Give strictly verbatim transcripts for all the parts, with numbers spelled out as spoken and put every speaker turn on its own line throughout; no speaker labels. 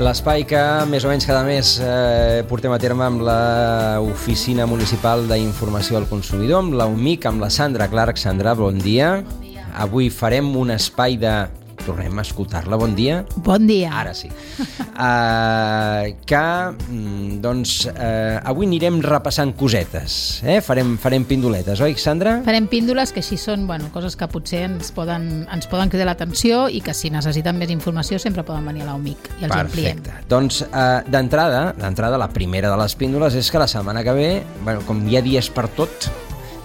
l'espai que més o menys cada mes eh, portem a terme amb l'Oficina Municipal d'Informació al Consumidor, amb la U M I C, amb la Sandra Clark. Sandra, bon dia.
Bon dia.
Avui farem un espai de... Tornem a escoltar-la. Bon dia.
Bon dia.
Ara sí. Uh, que, doncs, uh, avui anirem repassant cosetes. Eh? Farem, farem pindoletes, oi, Sandra?
Farem píndoles que així són bueno, coses que potser ens poden, ens poden cridar l'atenció i que si necessiten més informació sempre poden venir a la U M I C i els ampliem.
Perfecte. Doncs, uh, d'entrada, d'entrada, la primera de les píndoles és que la setmana que ve, bueno, com hi ha dies per tot,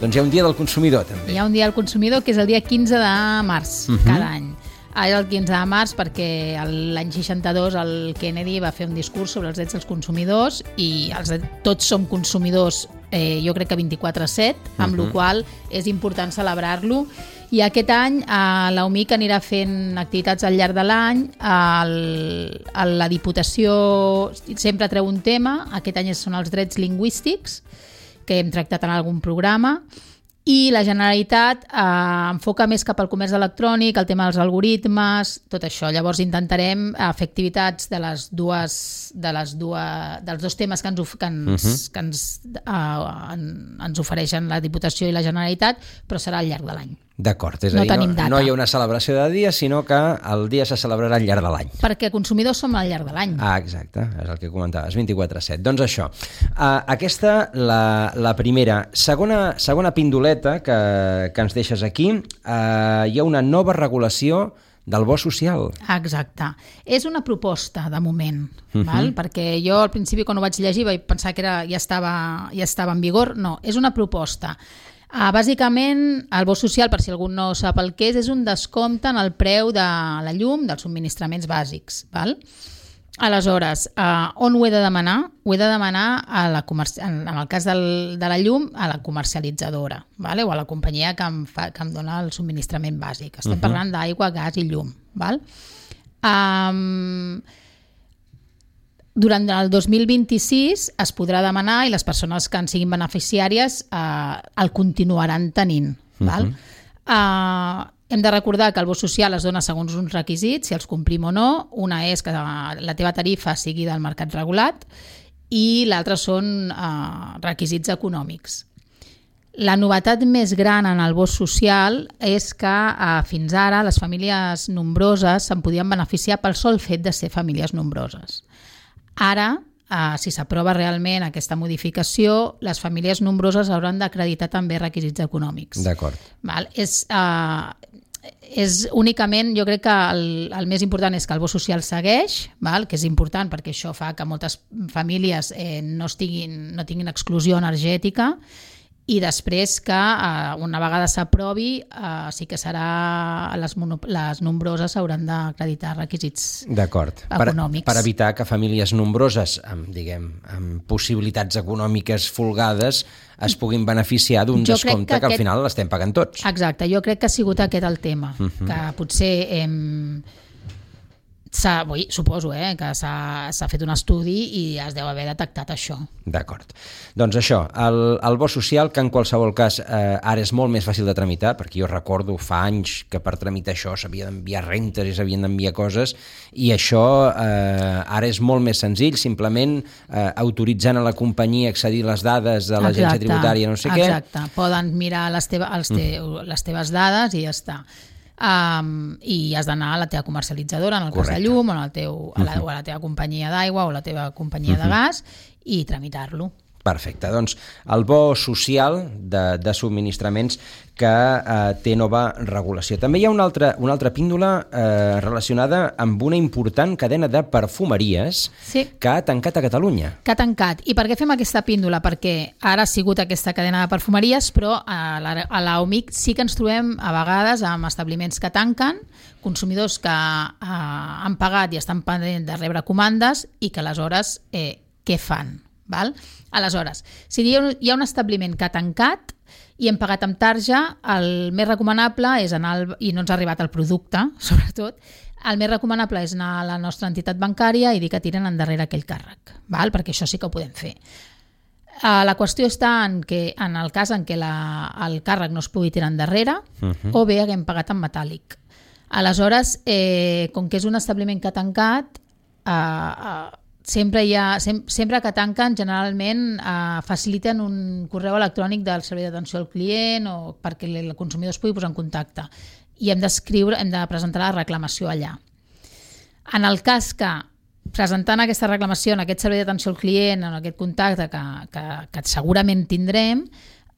doncs hi ha un dia del consumidor, també.
Hi ha un dia del consumidor que és el dia quinze de març, uh-huh. cada any. Era el quinze de març perquè l'any seixanta-dos el Kennedy va fer un discurs sobre els drets dels consumidors i els, tots som consumidors, eh, jo crec que vint-i-quatre set, amb uh-huh. la qual és important celebrar-lo. I aquest any eh, la U M I C anirà fent activitats al llarg de l'any. El, la Diputació sempre treu un tema, aquest any són els drets lingüístics, que hem tractat en algun programa, i la Generalitat eh, enfoca més cap al comerç electrònic, el tema dels algoritmes, tot això. Llavors intentarem eh, fer activitats de les dues, de les dues, dels dos temes que ens, que ens, uh-huh. que ens, eh, ens ofereixen la Diputació i la Generalitat, però serà al llarg de l'any.
D'acord, és
no
a dir, no, no hi ha
data.
una celebració de dia, sinó que el dia se celebrarà al llarg de l'any.
Perquè consumidors som al llarg de l'any.
Ah, exacte, és el que comentaves, vint-i-quatre set. Doncs això, uh, aquesta, la, la primera. Segona, segona pindoleta que, que ens deixes aquí, uh, hi ha una nova regulació del bo social.
Exacte. És una proposta, de moment,
uh-huh.
val? Perquè jo al principi quan ho vaig llegir vaig pensar que era, ja, estava, ja estava en vigor. No, és una proposta. Uh, bàsicament, el bo social, per si algú no sap el que és, és un descompte en el preu de la llum, dels subministraments bàsics. Val? Aleshores, uh, on ho he de demanar? Ho he de demanar, a la comerci... en, en el cas del, de la llum, a la comercialitzadora, vale? O a la companyia que em, fa, que em dona el subministrament bàsic. Estem uh-huh. parlant d'aigua, gas i llum. Val? Um, Durant el dos mil vint-i-sis es podrà demanar i les persones que en siguin beneficiàries eh, el continuaran tenint. Uh-huh. Val? Eh, hem de recordar que el bo social es dona segons uns requisits, si els complim o no. Una és que la teva tarifa sigui del mercat regulat i l'altra són eh, requisits econòmics. La novetat més gran en el bo social és que eh, fins ara les famílies nombroses se'n podien beneficiar pel sol fet de ser famílies nombroses. Ara, eh, si s'aprova realment aquesta modificació, les famílies nombroses hauran d'acreditar també requisits econòmics.
D'acord.
Val? És, eh, és únicament, jo crec que el, el més important és que el bo social segueix, val? Que és important perquè això fa que moltes famílies eh, no, estiguin, no tinguin exclusió energètica, i després que eh, una vegada s'aprovi eh, sí que serà les, mono, les nombroses hauran d'acreditar requisits econòmics.
Per, per evitar que famílies nombroses amb, diguem, amb possibilitats econòmiques folgades es puguin beneficiar d'un descompte que, que aquest... al final l'estem pagant tots.
Exacte, jo crec que ha sigut aquest el tema, uh-huh. que potser hem... S'ha, oi, suposo eh, que s'ha, s'ha fet un estudi i es deu haver detectat això.
D'acord. Doncs això, el, el bo social, que en qualsevol cas eh, ara és molt més fàcil de tramitar, perquè jo recordo fa anys que per tramitar això s'havia d'enviar rentes i s'havien d'enviar coses, i això eh, ara és molt més senzill, simplement eh, autoritzant a la companyia a accedir les dades de l'agència tributària, no sé
exacte.
què.
Exacte, poden mirar les, teva, els te, mm. les teves dades i ja està. Um, i has d'anar a la teva comercialitzadora en el Correcte. Cas de llum o, el teu, a la, uh-huh. o a la teva companyia d'aigua o a la teva companyia uh-huh. de gas i tramitar-lo.
Perfecte, doncs el bo social de, de subministraments que eh, té nova regulació. També hi ha una altra, una altra píndola eh, relacionada amb una important cadena de perfumeries
sí.
que ha tancat a Catalunya.
Que ha tancat. I per què fem aquesta píndola? Perquè ara ha sigut aquesta cadena de perfumeries, però a la, a la U M I C sí que ens trobem a vegades amb establiments que tanquen, consumidors que eh, han pagat i estan pendents de rebre comandes i que aleshores eh, què fan? Val? Aleshores, si hi ha un establiment que ha tancat i hem pagat amb tarja, el més recomanable és anar, al, i no ens ha arribat el producte, sobretot, el més recomanable és anar a la nostra entitat bancària i dir que tiren endarrere aquell càrrec, val? Perquè això sí que ho podem fer. La qüestió està en que en el cas en què la, el càrrec no es pugui tirar endarrere uh-huh. o bé haguem pagat en metàl·lic. Aleshores, eh, com que és un establiment que ha tancat, uh, uh, sempre, hi ha, sem sempre que tanquen, generalment uh, faciliten un correu electrònic del servei d'atenció al client o perquè el consumidor es pugui posar en contacte. I hem d'escriure, hem de presentar la reclamació allà. En el cas que presentant aquesta reclamació en aquest servei d'atenció al client, en aquest contacte que, que, que segurament tindrem,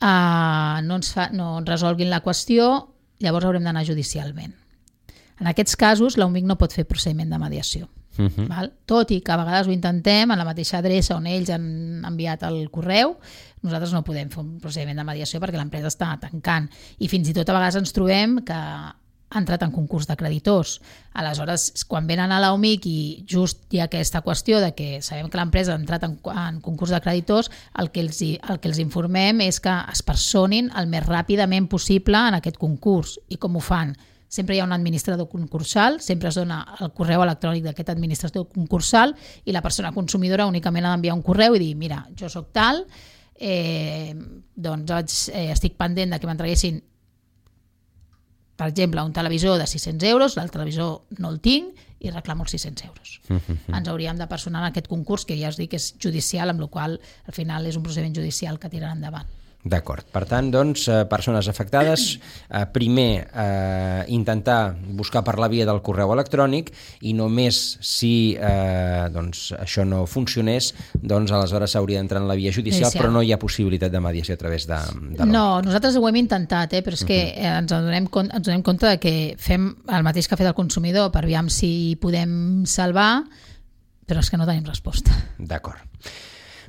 eh, no, ens fa, no ens resolguin la qüestió, llavors haurem d'anar judicialment. En aquests casos, l'U M I C no pot fer procediment de mediació. Uh-huh. Val? Tot i que a vegades ho intentem en la mateixa adreça on ells han enviat el correu, nosaltres no podem fer un procediment de mediació perquè l'empresa està tancant i fins i tot a vegades ens trobem que ha entrat en concurs de creditors. Aleshores, quan venen a l'U M I C i just hi ha aquesta qüestió de que sabem que l'empresa ha entrat en, en concurs de creditors, el que, els, el que els informem és que es personin el més ràpidament possible en aquest concurs. I com ho fan? Sempre hi ha un administrador concursal, sempre es dona el correu electrònic d'aquest administrador concursal i la persona consumidora únicament ha d'enviar un correu i dir, mira, jo sóc tal, eh, doncs vaig, eh, estic pendent de que m'entreguessin per exemple, un televisor de sis-cents euros, l'altre televisor no el tinc i reclamo els sis-cents euros. Uh-huh. Ens hauríem de personar en aquest concurs, que ja us dic que és judicial, amb la qual cosa al final és un procediment judicial que tiraran endavant.
D'acord. Per tant, doncs, persones afectades, eh, primer eh, intentar buscar per la via del correu electrònic i només si eh, doncs, això no funcionés, doncs aleshores s'hauria d'entrar en la via judicial, judicial, però no hi ha possibilitat de mediació a través de, de
No, nosaltres ho hem intentat, eh, però és que uh-huh. ens, adonem, ens donem compte de que fem el mateix que ha fet el consumidor per aviam si podem salvar, però és que no tenim resposta.
D'acord.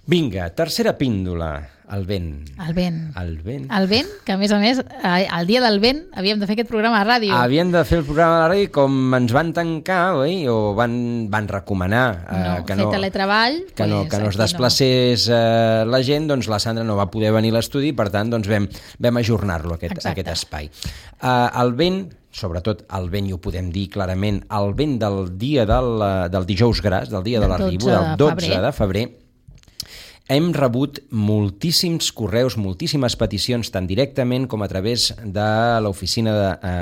Vinga, tercera píndola, el vent.
El vent.
El vent.
El vent, que a més a més, el dia del vent havíem de fer aquest programa a ràdio.
Havíem de fer el programa a la ràdio com ens van tancar, oi? O van, van recomanar eh,
no,
que,
no,
no,
teletreball,
que,
pues,
no, que no es desplacés no. eh, la gent, doncs la Sandra no va poder venir a l'estudi, per tant doncs vam, vam ajornar-lo, aquest, aquest espai. Eh, el vent, sobretot el vent, i ho podem dir clarament, el vent del dia del, del dijous gras, del dia de l'arribo, del dotze de febrer, hem rebut moltíssims correus, moltíssimes peticions, tant directament com a través de l'Oficina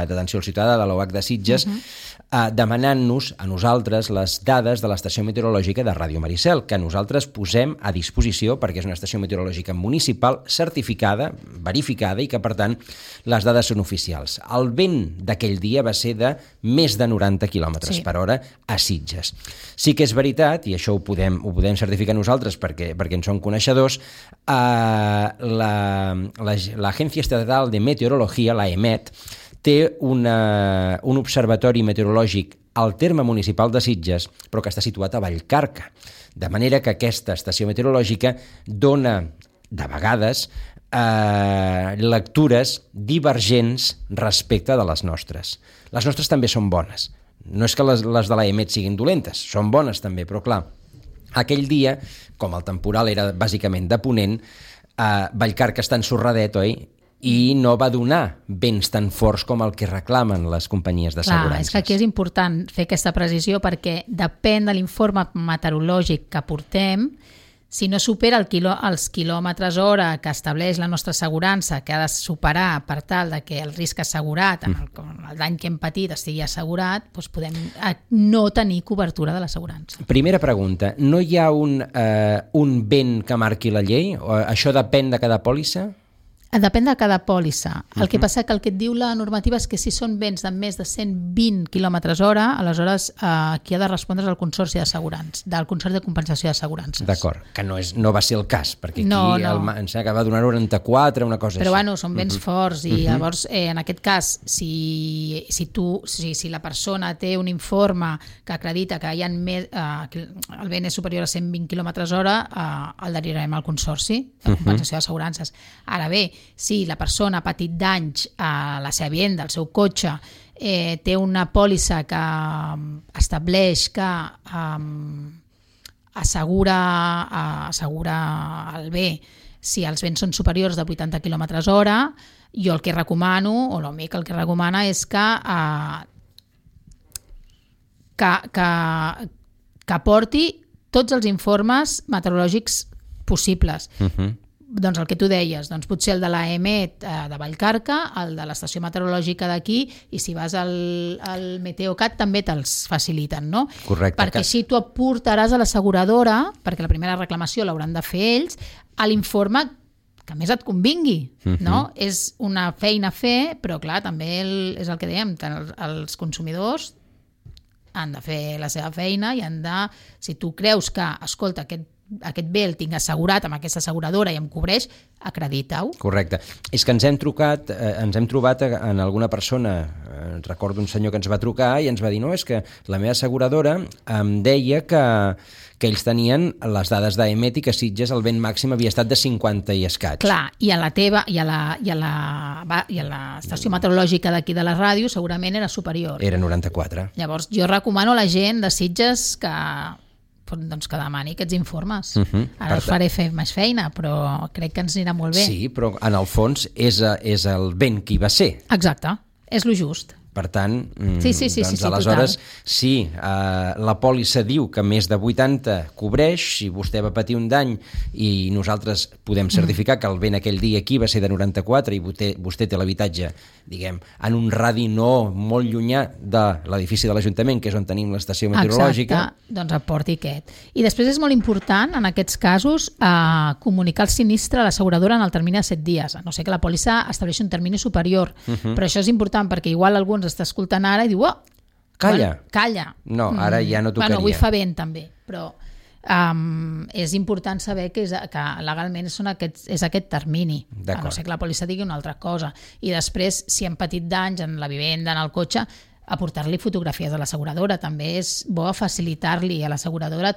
d'Atenció al Ciutadà de l'O H de Sitges, uh-huh. eh, demanant-nos a nosaltres les dades de l'estació meteorològica de Ràdio Maricel, que nosaltres posem a disposició perquè és una estació meteorològica municipal certificada, verificada i que, per tant, les dades són oficials. El vent d'aquell dia va ser de més de noranta quilòmetres sí. per hora a Sitges. Sí que és veritat, i això ho podem, ho podem certificar nosaltres perquè, perquè en som coneixedors, eh, l'Agència Estatal de Meteorologia, la EMET, té una, un observatori meteorològic al terme municipal de Sitges, però que està situat a Vallcarca. De manera que aquesta estació meteorològica dona, de vegades, eh, lectures divergents respecte de les nostres. Les nostres també són bones. No és que les, les de la EMET siguin dolentes, són bones també, però clar, aquell dia, com el temporal era bàsicament de ponent, eh, Vallcarca està ensorradet, oi? I no va donar vents tan forts com el que reclamen les companyies d'assegurances.
Clar, és que aquí és important fer aquesta precisió perquè depèn de l'informe meteorològic que portem. Si no supera el quilò, els quilòmetres hora que estableix la nostra assegurança, que ha de superar per tal de que el risc assegurat, el, el dany que hem patit estigui assegurat, doncs podem no tenir cobertura de l'assegurança.
Primera pregunta, no hi ha un, eh, un vent que marqui la llei? O això depèn de cada pòlissa?
Depèn de cada pòlissa. El que passa que el que et diu la normativa és que si són vents de més de cent vint quilòmetres hora, aleshores eh, qui ha de respondre és el Consorci d'Assegurants, del Consorci de Compensació d'Assegurances.
D'acord, que no, és, no va ser el cas, perquè aquí
no, no.
El, em sembla que va donar noranta-quatre, una cosa
Però
així.
bueno, són vents uh-huh. forts i uh-huh. llavors eh, en aquest cas, si, si, tu, si, si la persona té un informe que acredita que, hi ha més, eh, que el vent és superior a cent vint quilòmetres hora, eh, el derivarem al Consorci de Compensació uh-huh. d'Assegurances. Ara bé, si la persona ha patit danys a la seva vivienda, al seu cotxe, eh, té una pòlissa que estableix que um, assegura, uh, assegura el bé si els vents són superiors de vuitanta quilòmetres hora, jo el que recomano, o l'O M I C el que recomana és que, uh, que, que, que aporti tots els informes meteorològics possibles. Uh-huh. doncs el que tu deies, doncs potser el de l'A M E T eh, de Vallcarca, el de l'estació meteorològica d'aquí, i si vas al, al Meteocat també te'ls faciliten, no?
Correcte.
Perquè així tu aportaràs a l'asseguradora, perquè la primera reclamació l'hauran de fer ells, a l'informe que més et convingui, uh-huh. no? És una feina a fer, però clar, també el, és el que dèiem, els, els consumidors han de fer la seva feina i han de, si tu creus que, escolta, aquest aquest bé el tinc assegurat amb aquesta asseguradora i em cobreix, acredita-ho.
Correcte. És que ens hem trucat, eh, ens hem trobat en alguna persona, eh, recordo un senyor que ens va trucar i ens va dir, no, és que la meva asseguradora em deia que, que ells tenien les dades d'A M E T i que Sitges el vent màxim havia estat de cinquanta i escaig.
Clar, i a la teva, i a la, i a la, i a l'estació meteorològica d'aquí de la ràdio segurament era superior.
Era noranta-quatre.
Llavors jo recomano a la gent de Sitges que doncs que demani aquests informes. Uh-huh. Ara us faré fer més feina, però crec que ens anirà molt bé.
Sí, però en el fons és, és el vent qui va ser.
Exacte, és lo just.
Per tant,
sí, sí, sí,
doncs
sí, sí,
aleshores,
total.
sí, eh, la pòlissa diu que més de vuitanta cobreix, si vostè va patir un dany i nosaltres podem certificar mm. que el vent aquell dia aquí va ser de noranta-quatre i vostè, vostè té l'habitatge, diguem, en un radi no molt llunyà de l'edifici de l'Ajuntament, que és on tenim l'estació meteorològica.
Exacte, doncs aporti aquest. I després és molt important, en aquests casos, eh, comunicar el sinistre a l'asseguradora en el termini de set dies, a no ser que la pòlissa estableixi un termini superior. Uh-huh. Però això és important perquè igual alguns està escoltant ara i diu, oh,
calla.
Bueno, calla.
No, ara ja no tocaria.
Bueno, avui fa vent també, però um, és important saber que, és, que legalment són aquests, és aquest termini, a no ser que la pòlissa digui una altra cosa. I després, si han patit danys en la vivenda, en el cotxe, aportar-li fotografies a l'asseguradora. També és bo facilitar-li a l'asseguradora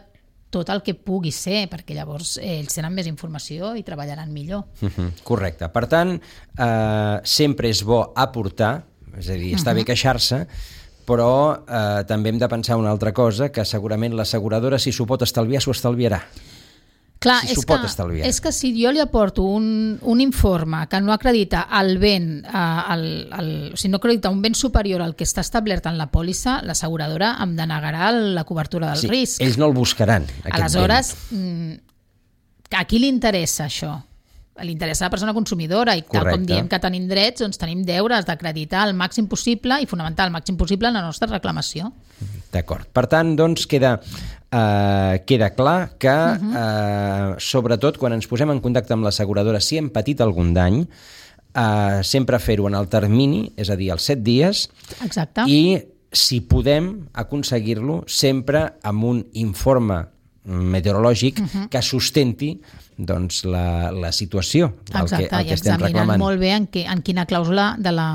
tot el que pugui ser, perquè llavors ells tenen més informació i treballaran millor. Uh-huh.
Correcte. Per tant, eh, sempre és bo aportar, és a dir, està uh-huh. bé queixar-se, però eh, també hem de pensar una altra cosa, que segurament l'asseguradora, si s'ho pot estalviar, s'ho estalviarà.
Clar,
si
és,
s'ho pot
que,
estalviar.
és que si jo li aporto un, un informe que no acredita el vent, eh, el, el, o sigui, no acredita un vent superior al que està establert en la pòlissa, l'asseguradora em denegarà la cobertura del
sí,
risc.
Ells no el buscaran, aquest
Aleshores,
vent.
A qui li interessa això? Li interessa a la persona consumidora i tal
Correcte.
Com diem que tenim drets, doncs tenim deures d'acreditar el màxim possible i fonamentar el màxim possible en la nostra reclamació.
D'acord. Per tant, doncs, queda, eh, queda clar que, uh-huh. eh, sobretot, quan ens posem en contacte amb l'asseguradora, si hem patit algun dany, eh, sempre fer-ho en el termini, és a dir, els set dies,
Exacte.
I si podem aconseguir-lo sempre amb un informe meteorològic uh-huh. que sustenti doncs, la, la situació del
Exacte,
que, el que estem
reclamant.
reclamant.
Molt bé en, que, en quina clàusula de la,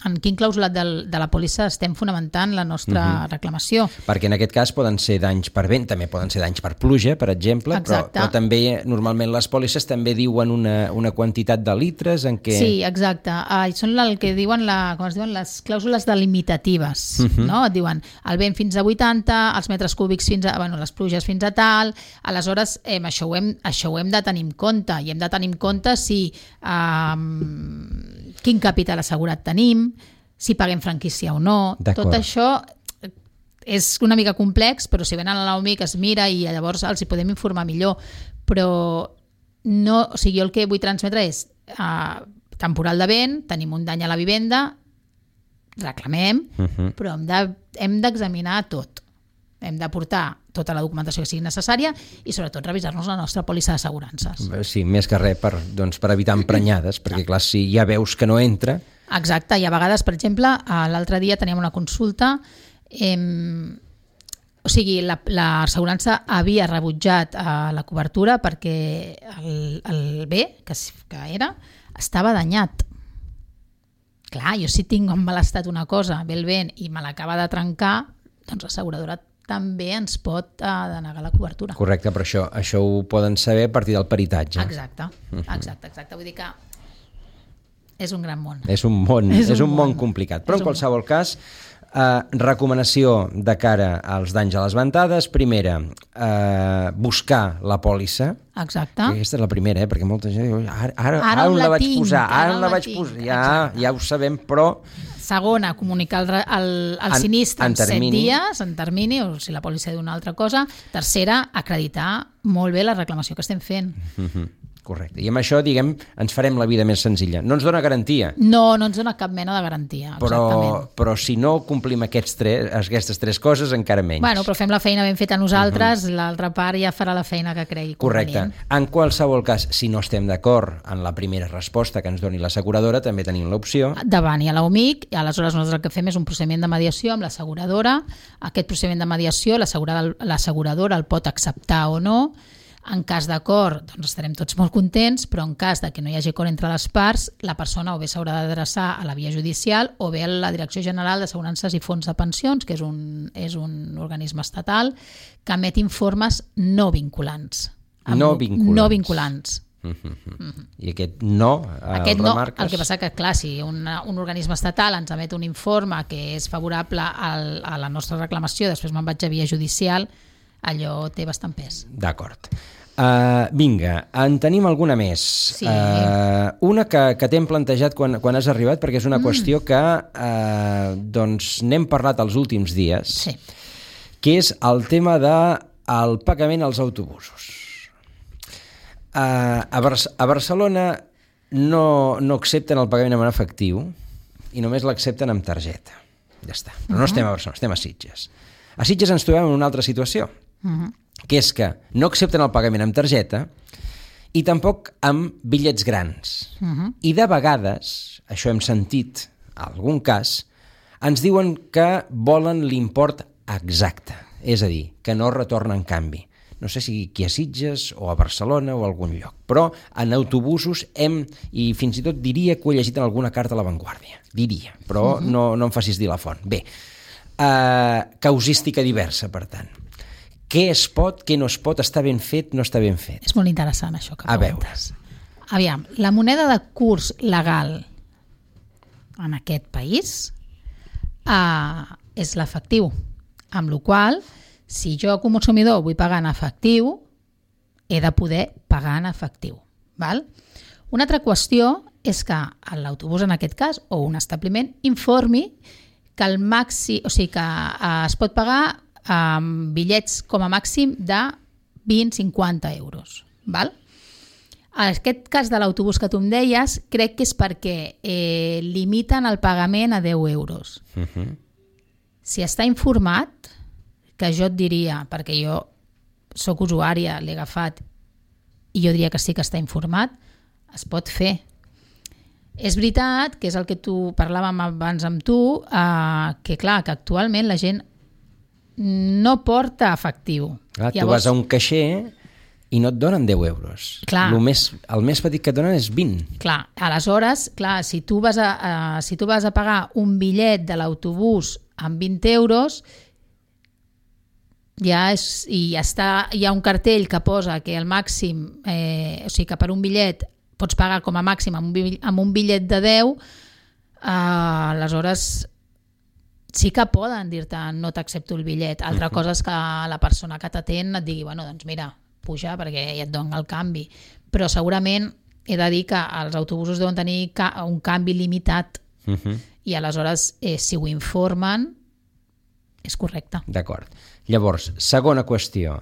en quin clàusula del, de la pòlissa estem fonamentant la nostra uh-huh. reclamació.
Perquè en aquest cas poden ser danys per vent, també poden ser danys per pluja, per exemple, però, però també normalment les pòlisses també diuen una, una quantitat de litres en què...
Sí, exacte. Ah, són el que diuen, la, com es diuen les clàusules delimitatives. Uh-huh. No? Et diuen el vent fins a vuitanta, els metres cúbics fins a... Bueno, les pluges fins a tal... Aleshores, eh, això, ho hem, això ho hem de tenir en compte i hem de tenir en compte si eh, quin capital assegurat tenim, si paguem franquícia o no. Tot això és una mica complex, però si venen a l'A O M I que es mira i llavors els hi podem informar millor. Però no, o sigui, jo el que vull transmetre és eh, temporal de vent, tenim un dany a la vivenda, reclamem, uh-huh. però hem de, hem d'examinar tot. Hem d'aportar tota la documentació que sigui necessària i sobretot revisar-nos la nostra pòlissa d'assegurances.
Sí, més que res per, doncs, per evitar emprenyades, perquè clar, si ja veus que no entra...
Exacte, i a vegades, per exemple, l'altre dia teníem una consulta, eh, o sigui, l'assegurança la, havia rebutjat eh, la cobertura perquè el, el bé, que, que era, estava danyat. Clar, jo si tinc en mal estat una cosa, ve el vent i me l'acaba de trencar, doncs l'asseguradora també ens pot uh, denegar la cobertura.
Correcte, però això, això ho poden saber a partir del peritatge.
Exacte, exacte, exacte. Vull dir que és un gran món.
És un món, és un, és un món, món complicat. Però en qualsevol cas, eh, recomanació de cara als danys a les ventades. Primera, eh, buscar la pòlissa.
Exacte.
Aquesta és la primera, eh, perquè molta gent diu, ara, ara, ara, ara on la, la vaig tinc, posar, ara, ara on la vaig tinc. posar. Ja, ja ho sabem, però...
Segona, comunicar el, el, el en, sinistre en, en set dies, en termini, o si la pòlissa diu una altra cosa. Tercera, acreditar molt bé la reclamació que estem fent.
Uh-huh. Correcte. I amb això, diguem, ens farem la vida més senzilla. No ens dona garantia.
No, no ens dona cap mena de garantia,
però,
exactament.
Però si no complim aquests tres, aquestes tres coses, encara menys.
Bueno, però fem la feina ben feta nosaltres, uh-huh. l'altra part ja farà la feina que cregui convenient.
Correcte. En qualsevol cas, si no estem d'acord en la primera resposta que ens doni l'asseguradora, també tenim l'opció
davant i a l'O M I C, i aleshores nosaltres el que fem és un procediment de mediació amb l'asseguradora. Aquest procediment de mediació l'asseguradora el pot acceptar o no. En cas d'acord, doncs estarem tots molt contents, però en cas de que no hi hagi acord entre les parts, la persona o bé s'haurà d'adreçar a la via judicial o bé a la Direcció General d'Assegurances i Fons de Pensions, que és un, és un organisme estatal que emet informes no vinculants.
No vinculants.
No vinculants.
Uh-huh. Uh-huh. I aquest no el
aquest no,
remarques?
El que passa que, clar, si una, un organisme estatal ens emet un informe que és favorable al, a la nostra reclamació, després me'n vaig a via judicial, allò té bastant pes.
D'acord. Uh, vinga, en tenim alguna més.
Sí.
Uh, una que, que t'hem plantejat quan, quan has arribat, perquè és una mm. qüestió que uh, doncs n'hem parlat els últims dies,
sí.
que és el tema del pagament als autobusos. Uh, a, Bar a Barcelona no, no accepten el pagament en efectiu i només l'accepten amb targeta. Ja està. Però no uh -huh. estem a Barcelona, estem a Sitges. A Sitges ens trobem en una altra situació, uh -huh. que és que no accepten el pagament amb targeta i tampoc amb bitllets grans. Uh -huh. I de vegades, això hem sentit en algun cas, ens diuen que volen l'import exacte, és a dir, que no retornen canvi. No sé si aquí a Sitges o a Barcelona o a algun lloc, però en autobusos hem, i fins i tot diria que ho he llegit en alguna carta a La Vanguardia, diria, però uh -huh. no, no em facis dir la font. Bé, uh, causística diversa, per tant. Què es pot, què no es pot, està ben fet, no està ben fet?
És molt interessant això que
a
preguntes. Veure. Aviam, la moneda de curs legal en aquest país uh, és l'efectiu, amb la qual cosa, si jo com a consumidor vull pagar en efectiu, he de poder pagar en efectiu. Val? Una altra qüestió és que l'autobús, en aquest cas, o un establiment, informi que el màxim, o sigui que uh, es pot pagar amb bitllets com a màxim de vint a cinquanta euros. Val? En aquest cas de l'autobús que tu em deies, crec que és perquè eh, limiten el pagament a deu euros. Uh-huh. Si està informat, que jo et diria, perquè jo sóc usuària, l'he agafat, i jo diria que sí que està informat, es pot fer. És veritat, que és el que tu parlàvem abans amb tu, eh, que clar, que actualment la gent no porta efectiu.
Clar, Llavors, tu vas a un caixer i no et donen deu euros.
Clar.
El més, el més petit que et donen és vint.
Clar, aleshores, clar, si tu vas a, a, si tu vas a pagar un bitllet de l'autobús amb vint euros, ja és, i ja està, hi ha un cartell que posa que el màxim, eh, o sigui que per un bitllet pots pagar com a màxim amb un bitllet, amb un bitllet de deu, eh, aleshores sí que poden dir-te no t'accepto el bitllet. Altra uh-huh. cosa és que la persona que t'atén et digui, bueno, doncs mira, puja perquè ja et donen el canvi. Però segurament he de dir que els autobusos deuen tenir ca un canvi limitat uh-huh. i aleshores eh, si ho informen és correcte.
D'acord. Llavors, segona qüestió.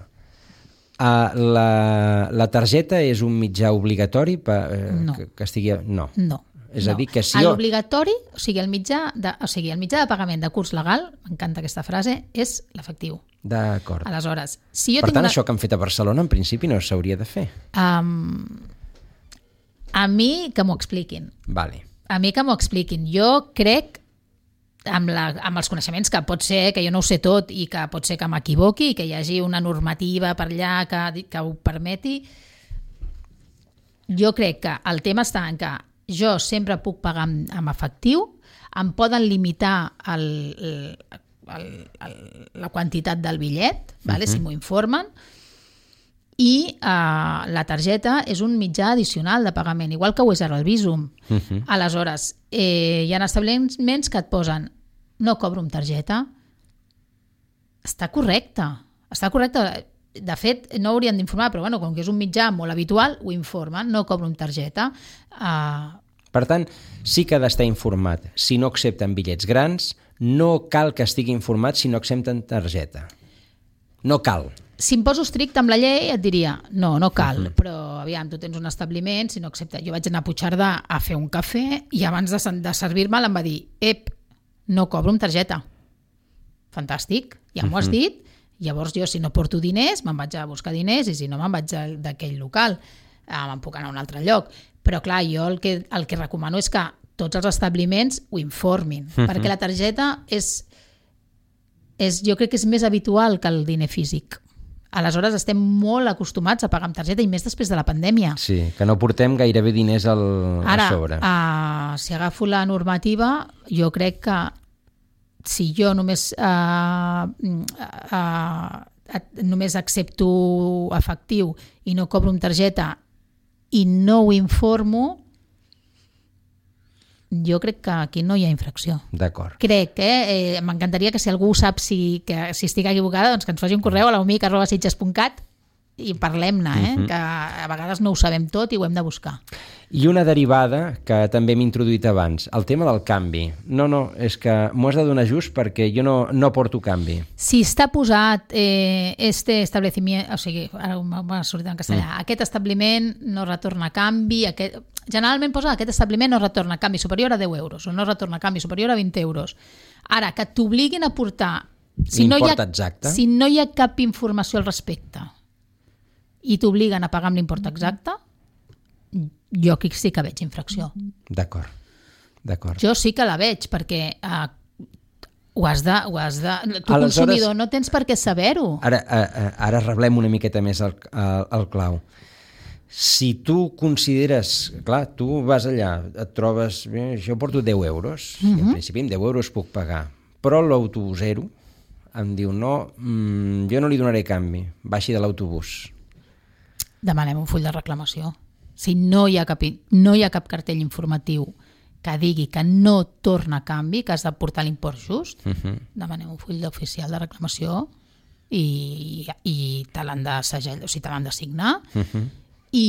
Uh, la, la targeta és un mitjà obligatori per, uh,
no.
que, que estigui... No.
No.
És
no.
a dir, que si jo...
L'obligatori, o sigui, el mitjà de, o sigui, el mitjà de pagament de curs legal, m'encanta aquesta frase, és l'efectiu.
D'acord.
Aleshores, si jo
per
tinc
tant,
una...
això que han fet a Barcelona, en principi, no s'hauria de fer.
Um, a mi que m'ho expliquin.
Vale.
A mi que m'ho expliquin. Jo crec, amb, la, amb els coneixements, que pot ser que jo no ho sé tot i que pot ser que m'equivoqui i que hi hagi una normativa per allà que, que ho permeti, jo crec que el tema està en que jo sempre puc pagar amb, amb efectiu, em poden limitar el, el, el, el, la quantitat del bitllet, vale? Uh-huh. Si m'ho informen, i uh, la targeta és un mitjà addicional de pagament, igual que ho és ara el Bizum. Uh-huh. Aleshores, eh, hi ha establiments que et posen no cobro amb targeta. Està correcte, està correcte. De fet, no haurien d'informar, però bueno, com que és un mitjà molt habitual, ho informen, no cobro amb targeta. Uh...
Per tant, sí que ha d'estar informat. Si no accepten bitllets grans, no cal que estigui informat si no accepten targeta. no cal.
Si em poso estricte amb la llei et diria no, no cal, uh-huh. però aviam, tu tens un establiment, si no accepta. Jo vaig anar a Puigcerdà a fer un cafè i abans de, de servir-me'l em va dir ep, no cobro amb targeta. Fantàstic, ja m'ho has dit. Llavors jo, si no porto diners, me'n vaig a buscar diners i si no me'n vaig d'aquell local. Eh, me'n puc anar a un altre lloc. Però clar, jo el que, el que recomano és que tots els establiments ho informin, uh-huh. perquè la targeta és, és, jo crec que és més habitual que el diner físic. Aleshores estem molt acostumats a pagar amb targeta i més després de la pandèmia.
Sí, que no portem gairebé diners al,
Ara,
a sobre.
Ara, uh, si agafo la normativa, jo crec que si jo només uh, uh, només accepto efectiu i no cobro amb targeta i no ho informo, jo crec que aquí no hi ha infracció.
D'acord.
Crec, eh? eh m'encantaria que si algú sap si, que, si estic equivocada, doncs que ens faci un correu a l'aumic arroba sitges punt cat i parlem-ne, eh? Uh-huh. Que a vegades no ho sabem tot i ho hem de buscar.
I una derivada que també hem introduït abans, el tema del canvi. No, no, és que m'ho has de donar just perquè jo no, no porto canvi.
Si està posat eh, este estableciment, o sigui, ara m'ha sortit en castellà, mm. aquest establiment no retorna canvi, aquest, generalment posa aquest establiment no retorna canvi superior a deu euros o no retorna canvi superior a vint euros. Ara, que t'obliguin a portar... Si no, hi ha,
exacte.
si no hi ha cap informació al respecte i t'obliguen a pagar amb l'import exacte, jo aquí sí que veig infracció.
D'acord, d'acord.
Jo sí que la veig, perquè eh, ho has de... Ho has de tu,
aleshores,
consumidor, no tens per què saber-ho.
Ara, ara reblem una miqueta més el, el, el clau. Si tu consideres... Clar, tu vas allà, et trobes... Bé, jo porto deu euros, uh-huh. i en principi amb deu euros puc pagar, però l'autobusero em diu no, mmm, jo no li donaré canvi, baixi de l'autobús.
Demanem un full de reclamació. Si no hi ha cap, no hi ha cap cartell informatiu que digui que no torna a canvi, que has de portar l'import just, uh-huh. demanem un full oficial de reclamació i, i te l'han de segell, o sigui, te l'han de signar uh-huh. i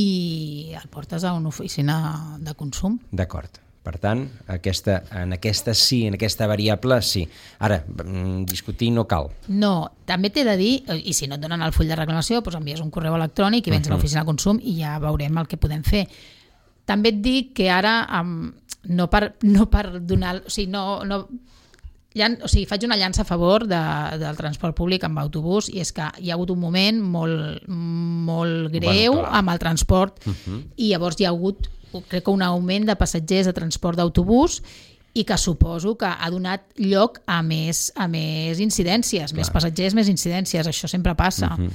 el portes a una oficina de consum.
D'acord. Per tant, aquesta, en aquesta sí, en aquesta variable sí. Ara, discutir no cal.
No, també t'he de dir, i si no et donen el full de reclamació, doncs envies un correu electrònic i vens uh-huh. a l'oficina de consum i ja veurem el que podem fer. També et dic que ara, um, no, per, no per donar... O sigui, no, no, llan, o sigui, faig una llança a favor de, del transport públic amb autobús i és que hi ha hagut un moment molt, molt greu bueno, amb el transport uh-huh. i llavors hi ha hagut... crec que un augment de passatgers de transport d'autobús i que suposo que ha donat lloc a més, a més incidències, Clar. més passatgers, més incidències, això sempre passa. Uh-huh.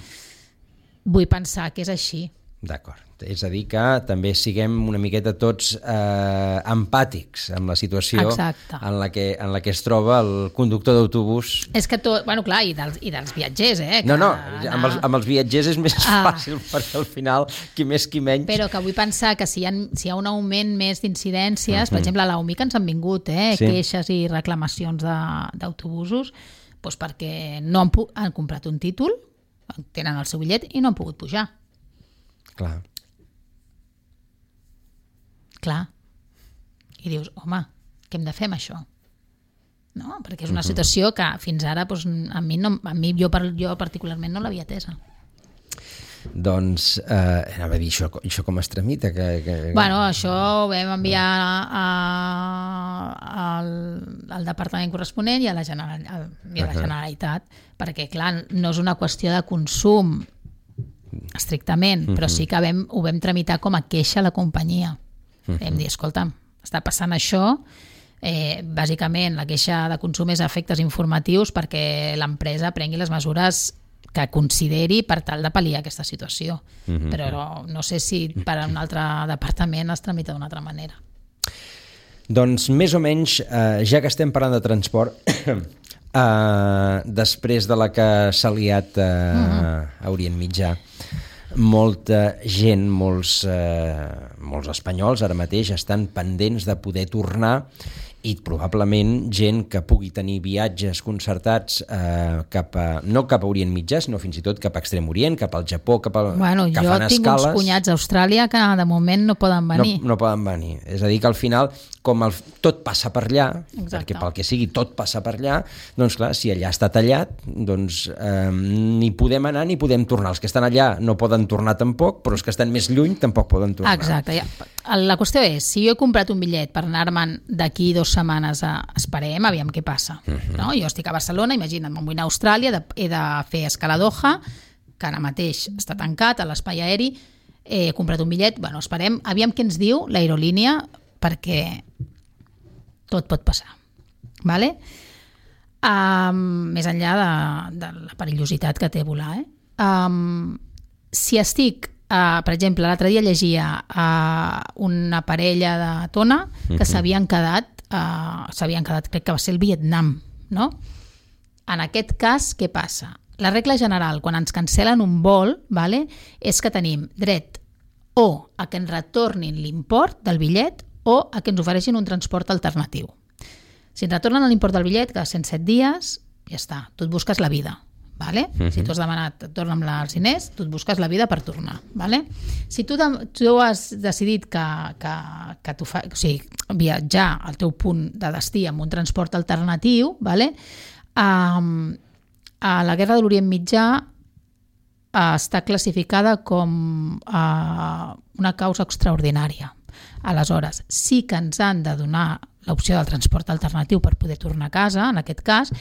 Vull pensar que és així.
D'acord. És a dir, que també siguem una miqueta tots eh, empàtics amb la situació en la, que, en la que es troba el conductor d'autobús.
És que tot, bueno, clar, i dels, i dels viatgers, eh? Que
no, no, anar... amb, els, amb els viatgers és més ah. fàcil, perquè al final, qui més, qui menys...
Però que vull pensar que si hi ha, si hi ha un augment més d'incidències, uh-huh. per exemple, a l'Aumic ens han vingut eh, sí. queixes i reclamacions d'autobusos, doncs perquè no han, han comprat un títol, tenen el seu bitllet i no han pogut pujar.
Clar. Clar.
I dius, home, què hem de fer amb això? No? Perquè és una uh-huh. situació que fins ara doncs, a mi, no, a mi jo, jo particularment no l'havia atesa.
Doncs, eh, anava a dir, això, això com es tramita? Que, que...
Bueno, això ho vam enviar a, al, al departament corresponent i a la, General, a, i a la Generalitat, uh-huh. perquè, clar, no és una qüestió de consum estrictament, uh-huh. però sí que vam, ho vam tramitar com a queixa a la companyia. Uh-huh. Vam dir, escolta, està passant això, eh, bàsicament la queixa de consum és a efectes informatius perquè l'empresa prengui les mesures que consideri per tal de pal·liar aquesta situació. Uh-huh. Però no sé si per a un altre departament es tramita d'una altra manera.
Doncs més o menys, eh, ja que estem parlant de transport, Uh, després de la que s'ha liat uh, uh-huh. a Orient Mitjà, molta gent, molts, uh, molts espanyols ara mateix estan pendents de poder tornar i probablement gent que pugui tenir viatges concertats eh, cap a, no cap a Orient Mitjà, sinó fins i tot cap a Extrem Orient, cap al Japó, cap a,
bueno,
que
fan escales. Jo tinc uns cunyats a Austràlia que de moment no poden venir.
No, no poden venir. És a dir, que al final, com el, tot passa per allà, Exacte. perquè pel que sigui tot passa per allà, doncs clar, si allà està tallat, doncs eh, ni podem anar ni podem tornar. Els que estan allà no poden tornar tampoc, però els que estan més lluny tampoc poden tornar.
Exacte. Ja. La qüestió és, si jo he comprat un bitllet per anar-me'n d'aquí dos setmanes a esperem, aviam què passa. Uh-huh. No? Jo estic a Barcelona, imagina't, me'n vull anar a Austràlia, de, he de fer escala a Doha, que ara mateix està tancat a l'espai aeri, he comprat un bitllet, bueno, esperem, aviam què ens diu l'aerolínia, perquè tot pot passar. Vale? Um, més enllà de, de la perillositat que té volar. Eh? Um, si estic Uh, per exemple, l'altre dia llegia uh, una parella de Tona que uh-huh. s'havien quedat uh, s'havien quedat, crec que va ser el Vietnam, no? En aquest cas, què passa? La regla general, quan ens cancel·len un vol, vale, és que tenim dret o a que ens retornin l'import del bitllet o a que ens ofereixin un transport alternatiu. Si ens retornen l'import del bitllet, cada cent set dies, ja està, tu et busques la vida. Vale? Uh-huh. Si tu has demanat torna'm els diners, tu et busques la vida per tornar. Vale? Si tu, de, tu has decidit que, que, que tu fa, o sigui, viatjar al teu punt de destí amb un transport alternatiu, vale? um, a la Guerra de l'Orient Mitjà uh, està classificada com uh, una causa extraordinària. Aleshores, sí que ens han de donar l'opció del transport alternatiu per poder tornar a casa, en aquest cas,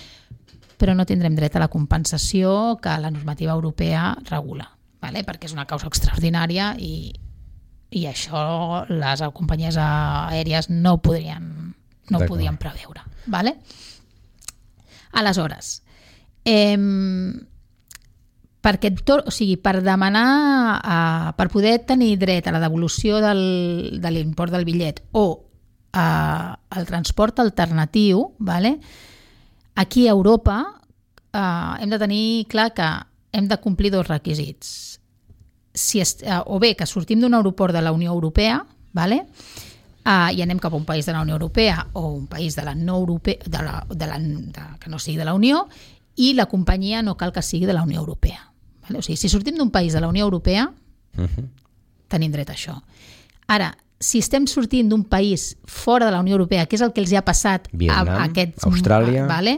però no tindrem dret a la compensació que la normativa europea regula, vale? Perquè és una causa extraordinària i, i això les companyies aèries no podrien, no podien preveure. Vale? Aleshores, eh, perquè, o sigui, per demanar, eh, per poder tenir dret a la devolució del, de l'import del bitllet o eh, el transport alternatiu, vale? Aquí a Europa eh, hem de tenir clar que hem de complir dos requisits. Si est, eh, o bé que sortim d'un aeroport de la Unió Europea, vale? eh, i anem cap a un país de la Unió Europea o un país de la no Europea, de la, de la, de, que no sigui de la Unió, i la companyia no cal que sigui de la Unió Europea. Vale? O sigui, si sortim d'un país de la Unió Europea, uh-huh. tenim dret a això. Ara, si estem sortint d'un país fora de la Unió Europea, que és el que els ha passat
Vietnam,
a, a aquests,
Austràlia,
vale?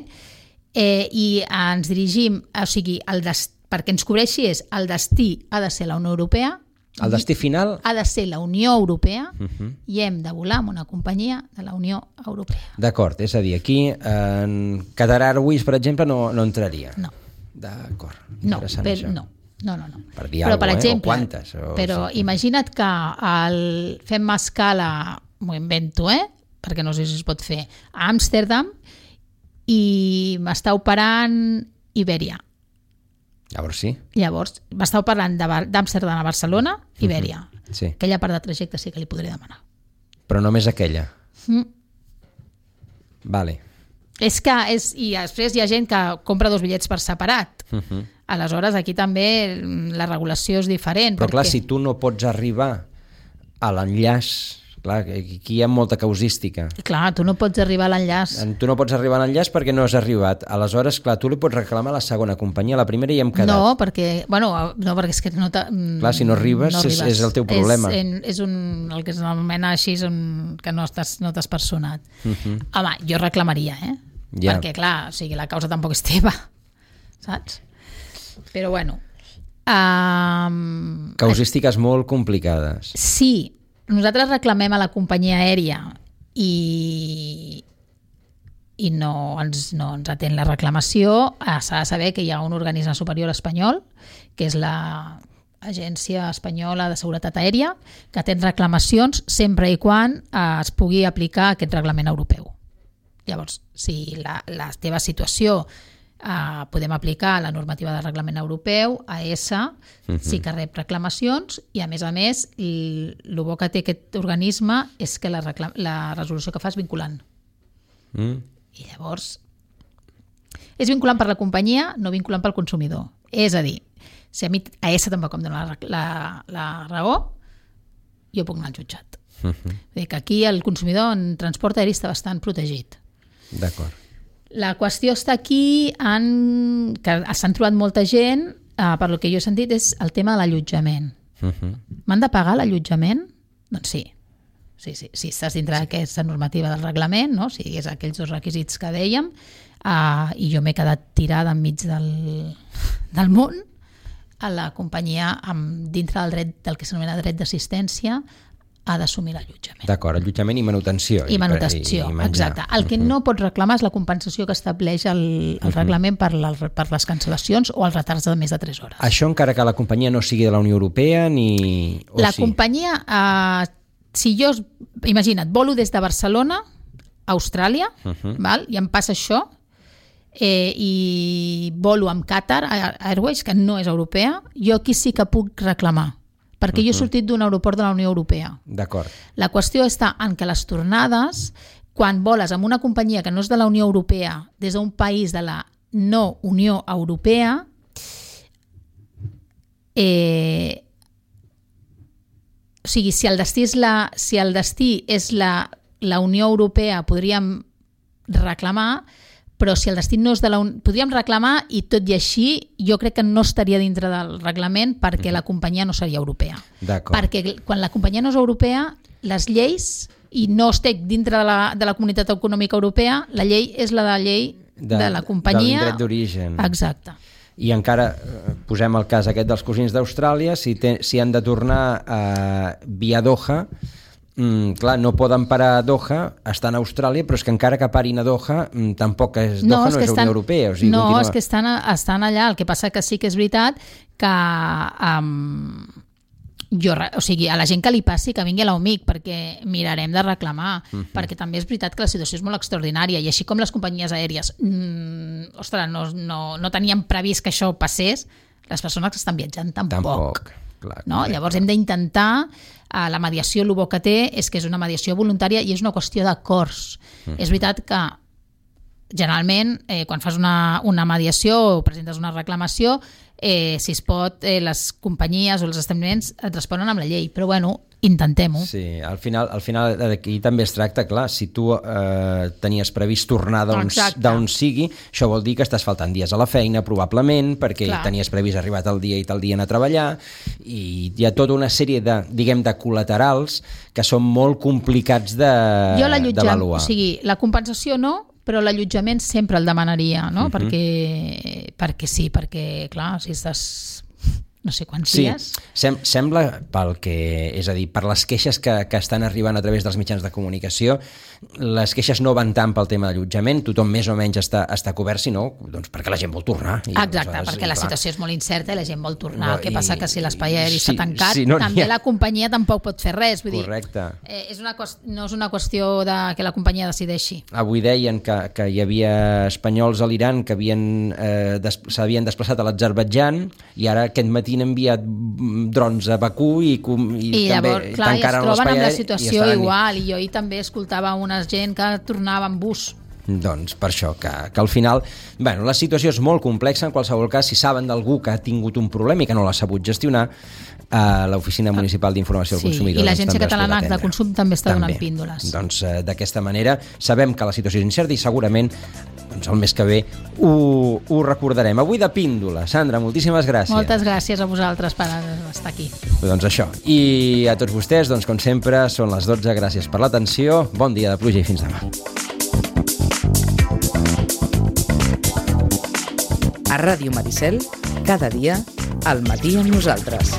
eh, i ens dirigim, o sigui, el des, perquè ens cobreixi és el destí ha de ser la Unió Europea,
el destí final
ha de ser la Unió Europea
uh-huh.
i hem de volar amb una companyia de la Unió Europea.
D'acord, és a dir, aquí en Qatar Airways, per exemple, no, no entraria.
No.
D'acord,
no,
interessant
per,
això.
No. No, no, no.
Per dir
però,
alguna
per
cosa,
exemple,
eh? O quantes? O...
Però sí. Imagina't que el, fem escala, m'ho invento, eh? perquè no sé si es pot fer, a Amsterdam i m'està operant Ibèria.
Llavors sí.
Llavors, m'està operant d'Amsterdam a Barcelona, Ibèria.
Uh-huh. Sí.
Aquella part de trajecte sí que li podré demanar.
Però només aquella?
Mm.
Vale.
És que, és, i després hi ha gent que compra dos bitllets per separat. Uh-huh. Aleshores, aquí també la regulació és diferent.
Però
perquè...
clar, si tu no pots arribar a l'enllaç, clar, aquí hi ha molta causística.
Clar, tu no pots arribar a l'enllaç.
Tu no pots arribar a l'enllaç perquè no has arribat. Aleshores, clar, tu li pots reclamar a la segona companyia, a la primera ja hem quedat.
No, perquè, bueno, no, perquè és que no...
Clar, si no arribes, no arribes. És, és el teu problema.
És, és un, el que s'anomena així, és un, que no estàs, no t'has personat. Uh-huh. Home, jo reclamaria, eh? Ja. Perquè, clar, o sigui, la causa tampoc és teva, saps? Però bueno... Um,
Causístiques molt complicades.
Sí, nosaltres reclamem a la companyia aèria i, i no, ens, no ens atén la reclamació. S'ha de saber que hi ha un organisme superior espanyol, que és l'Agència Espanyola de Seguretat Aèria, que atén reclamacions sempre i quan es pugui aplicar aquest reglament europeu. Llavors, si la, la teva situació Uh, podem aplicar la normativa de reglament europeu, A S, uh-huh. sí que rep reclamacions i a més a més el bo que té aquest organisme és que la, reclam- la resolució que fa és vinculant. Mm. I llavors és vinculant per la companyia, no vinculant pel consumidor. És a dir, si a mi A S tampoc em dona la, la, la raó, jo puc anar al jutjat. Uh -huh. Vull dir que aquí el consumidor en transport aeri està bastant protegit.
D'acord.
La qüestió està aquí, en, que s'han trobat molta gent, eh, per lo que jo he sentit, és el tema de l'allotjament. Uh -huh. M'han de pagar l'allotjament? Doncs sí. Sí, sí, sí, estàs dintre sí. d'aquesta normativa del reglament, no? O sigui, és aquells dos requisits que dèiem, uh, i jo m'he quedat tirada enmig del, del món, a la companyia, amb, dintre del dret del que s'anomena dret d'assistència, ha d'assumir l'allotjament.
D'acord, allotjament i manutenció.
I manutenció, i, i exacte. El que no pots reclamar és la compensació que estableix el, el reglament per, la, per les cancel·lacions o els retards de més de tres hores.
Això encara que la companyia no sigui de la Unió Europea ni... O
la
sí?
companyia, eh, si jo, imagina't, volo des de Barcelona a Austràlia, uh -huh. val? I em passa això, eh, i volo amb Qatar Airways, que no és europea, jo aquí sí que puc reclamar, perquè uh-huh. jo he sortit d'un aeroport de la Unió Europea.
D'acord.
La qüestió està en que les tornades, quan voles amb una companyia que no és de la Unió Europea, des d'un país de la no Unió Europea, eh, o sigui, si el destí és la, si el destí és la, la Unió Europea, podríem reclamar, però si el destí no és de la Unió... Podríem reclamar i tot i així jo crec que no estaria dintre del reglament perquè la companyia no seria europea.
D'acord.
Perquè quan la companyia no és europea, les lleis, i no estic dintre de la, de la Comunitat Econòmica Europea, la llei és la de la llei de, de la companyia.
De l'indret d'origen.
Exacte.
I encara posem el cas aquest dels cosins d'Austràlia, si, te, si han de tornar eh, via Doha, Mm, clar, no poden parar a Doha, estan a Austràlia, però és que encara que parin a Doha, mm, tampoc és,
no,
Doha
és
no és
estan,
Unió Europea. O sigui,
no,
continua...
és que estan, estan allà. El que passa que sí que és veritat que um, jo, o sigui, a la gent que li passi que vingui a l'O M I C, perquè mirarem de reclamar, uh -huh. perquè també és veritat que la situació és molt extraordinària, i així com les companyies aèries mm, ostres, no, no, no tenien previst que això passés, les persones que estan viatjant tampoc.
Tampoc. Clar,
no? Llavors hem d'intentar, eh, la mediació el bo que té és que és una mediació voluntària i és una qüestió d'acords. Mm. És veritat que generalment eh, quan fas una, una mediació o presentes una reclamació, eh, si es pot, eh, les companyies o els establiments et responen amb la llei, però bueno, intentem-ho.
Sí, al final, al final aquí també es tracta, clar, si tu eh, tenies previst tornar d'on sigui, això vol dir que estàs faltant dies a la feina, probablement, perquè clar. Tenies previst arribar tal dia i tal dia anar a treballar, i hi ha tota una sèrie de, diguem, de col·laterals que són molt complicats d'avaluar.
O sigui, la compensació no, però l'allotjament sempre el demanaria, no? Uh-huh. perquè, perquè sí, perquè, clar, si estàs no sé quants
sí,
dies...
Sem sembla, pel que, és a dir, per les queixes que, que estan arribant a través dels mitjans de comunicació, les queixes no van tant pel tema d'allotjament, tothom més o menys està, està cobert, sinó doncs perquè la gent vol tornar. I,
exacte,
doncs,
perquè la
clar.
situació és molt incerta i la gent vol tornar.
No,
el que passa
i,
que si l'espai aeri
sí,
està tancat,
sí, no
també
ha...
la companyia tampoc pot fer res. Vull
Correcte.
dir, eh, és una no és una qüestió de que la companyia decideixi.
Avui deien que, que hi havia espanyols a l'Iran que eh, des, s'havien desplaçat a l'Azerbaidjan i ara aquest matí han enviat drons a Bakú i, i,
I
també
llavors, clar, i es troben amb la situació
i
igual, i jo ahir també escoltava una gent que tornava en bus.
Doncs per això, que, que al final bueno, la situació és molt complexa. En qualsevol cas, si saben d'algú que ha tingut un problema i que no l'ha sabut gestionar, a l'Oficina Municipal d'Informació al
sí,
Consumidor
i l'Agència
doncs,
Catalana de Consum també està
també.
donant píndoles.
Doncs eh, d'aquesta manera sabem que la situació és incerta i segurament doncs, el mes que ve ho, ho recordarem. Avui de píndola. Sandra, moltíssimes gràcies.
Moltes gràcies a vosaltres per estar aquí.
Doncs això. I a tots vostès, doncs, com sempre, són les dotze. Gràcies per l'atenció. Bon dia de pluja i fins demà.
A Ràdio Maricel, cada dia, al matí amb nosaltres.